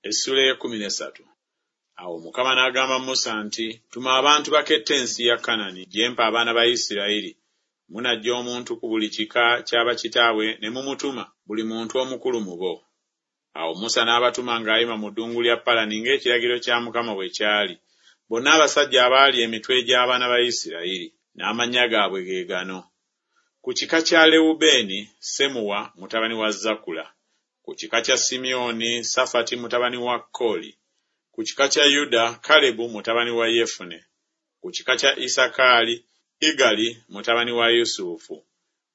Essuula ey'ekkumi n'essatu. Awo Mukama n'agamba Musa nti, Tuma abantu bakette ensi ya Kanani, gye mpa abaana ba Isirayiri. Munaggya omuntu ku buli kika kya bakitaabwe ne mumutuma, buli muntu omukulu mu bo. Awo Musa n'abatuma ng'ayima mu ddungu lya Palani ng'ekiragiro kya Mukama bwe kyali, bonna abasajja abaali emitwe gy'abaana ba Isirayiri. N'amannya gaabwe ge gano. Ku kika kya Lewubeeni, Semuwa mutabani wa Zakula. Ku kika kya Simyoni, Safati mutabani wa Koli. Ku kika kya Yuda, Kalebu mutabani wa Yefune. Ku kika kya Isakaali, Igali mutabani wa Yusufu.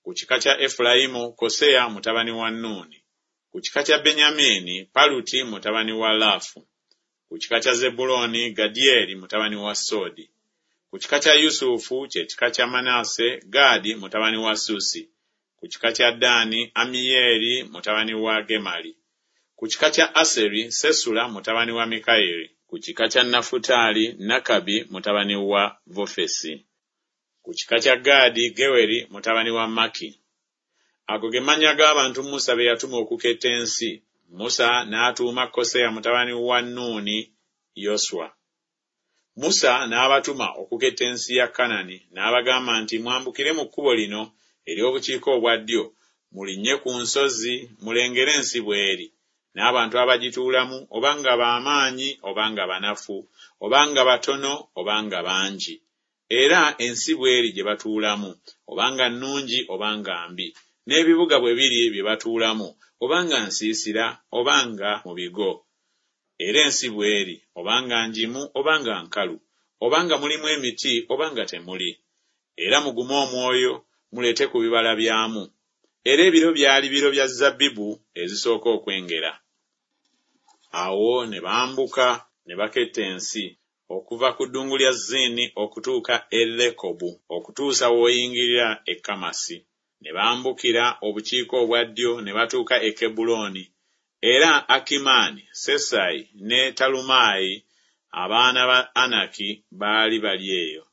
Ku kika kya Efulayimu, Koseya mutabani wa Nuuni. Ku kika kya Benyamini, Paluti mutabani wa Laafu. Ku kika kya Zebbulooni, Gadyeri mutabani wa Sodi. Ku kika kya Yusufu, kye kika kya Manase, Gaadi mutabani wa Susi. Ku kika kya Ddaani, Amiyeeri mutabani wa Gemali. Ku kika kya Aseri, Sesula mutabani wa Mikayiri. Ku kika kya Nafutaali, Nakabi mutabani wa Vofesi. Ku kika kya Gaadi, Geweri mutabani wa Maki. Ago ge mannya g'abantu Musa be yatuma okuketta ensi. Musa n'atuuma Koseya mutabani wa Nuuni Yoswa. Musa n'abatuma okuketta ensi ya Kanani, n'abagamba nti, Mwambukire mu kkubo lino ery'obukiika obwa ddyo, mulinnye ku nsozi, mulengere ensi bw'eri, n'abantu abagituulamu, oba nga ba maanyi oba nga banafu, oba nga batono oba nga bangi. Era ensi bw'eri gye batuulamu, oba nga nnungi oba nga mbi, n'ebibuga bwe biri bye batuulamu, oba nga nsiisira oba nga mu bigo. Era ensi bw'eri, oba nga ngimu oba nga nkalu, oba nga mulimu emiti oba nga temuli. Era mugume omwoyo, muleete ku bibala byamu. Era ebiro byali biro bya zabbibu ezisooka okwengera. Awo ne bambuka ne baketta ensi, okuva ku ddungu lya Zini okutuuka e Lekobu, okutuusa w'oyingirira e Kamasi. Ne bambukira obukiika obwa ddyo ne batuuka e Kebbulooni, era Akimaani, Sesayi ne Talumaayi abaana ba Anaki baali bali eyo.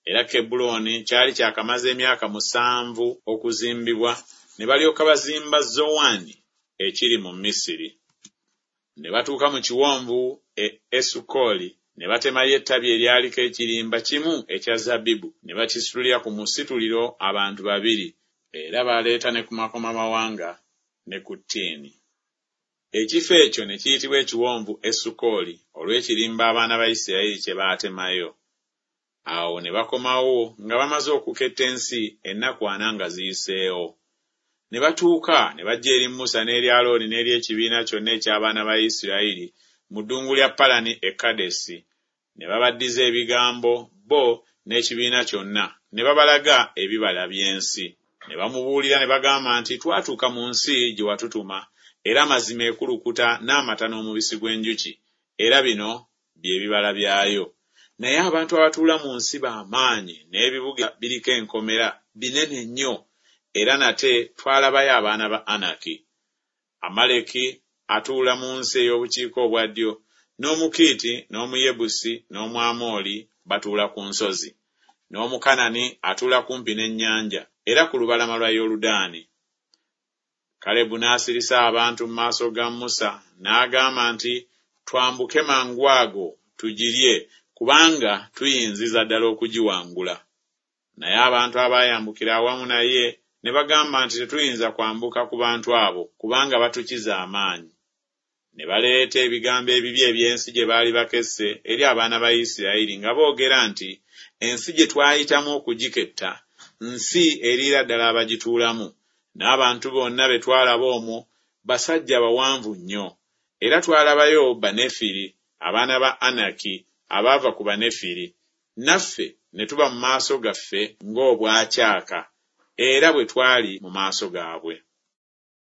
Era Kebbulooni kyali kyakamaze emyaka musanvu okuzimbibwa, ne balyoka bazimba Zowani ekiri mu Misiri. Ne batuuka mu kiwonvu e Esukoli, ne batemayo ettabi eryaliko ekirimba kimu ekya zabbibu, ne bakisitulira ku musituliro abantu babiri, era baaleeta ne ku makomamawanga ne ku ttiini. Ekifo ekyo ne kiyitibwa ekiwonvu Esukoli olw'ekirimba abaana ba Isirayiri kye baatemayo. Awo ne bakomawo nga bamaze okuketta ensi ennaku ana nga ziyiseewo. Ne batuuka ne bajja eri Musa n'eri Alooni n'eri ekibiina kyonna eky'abaana ba Isirayiri mu ddungu lya Palani e Kadesi, ne babaddiza ebigambo bo n'ekibiina kyonna, ne babalaga ebibala by'ensi. Ne bamubuulira ne bagamba nti, Twatuuka mu nsi gye watutuma, era mazima ekulukuta n'amata n'omubisi gw'enjuki, era bino bye bibala byayo. Naye abantu abatuula mu nsi ba maanyi, n'ebibuga biriko enkomera, binene nnyo, era nate twalabayo abaana ba Anaki. Amaleki atuula mu nsi ey'obukiika obwa ddyo, n'Omukiiti n'Omuyebusi n'Omwamoli batuula ku nsozi, n'Omukanani atuula kumpi n'ennyanja, era ku lubalama lwa Yoludaani. Kalebu n'asirisa abantu mu maaso ga Musa, n'agamba nti, Twambuke mangwago tugirye, kubanga tuyinziza ddala okugiwangula. Naye abantu abaayambukira awamu naye ne bagamba nti, Tetuyinza kwambuka ku bantu abo, kubanga batukiza amaanyi. Ne baleeta ebigambo ebibi eby'ensi gye baali bakesse eri abaana ba Isirayiri nga boogera nti, Ensi gye twayitamu okugiketta, nsi eriira ddala abagituulamu, n'abantu bonna be twalaba omwo basajja bawanvu nnyo. Era twalabayo Banefiri, abaana ba Anaki, abaava ku Banefiri, naffe ne tuba mu maaso gaffe ng'obwacaaka, era bwe twali mu maaso gaabwe.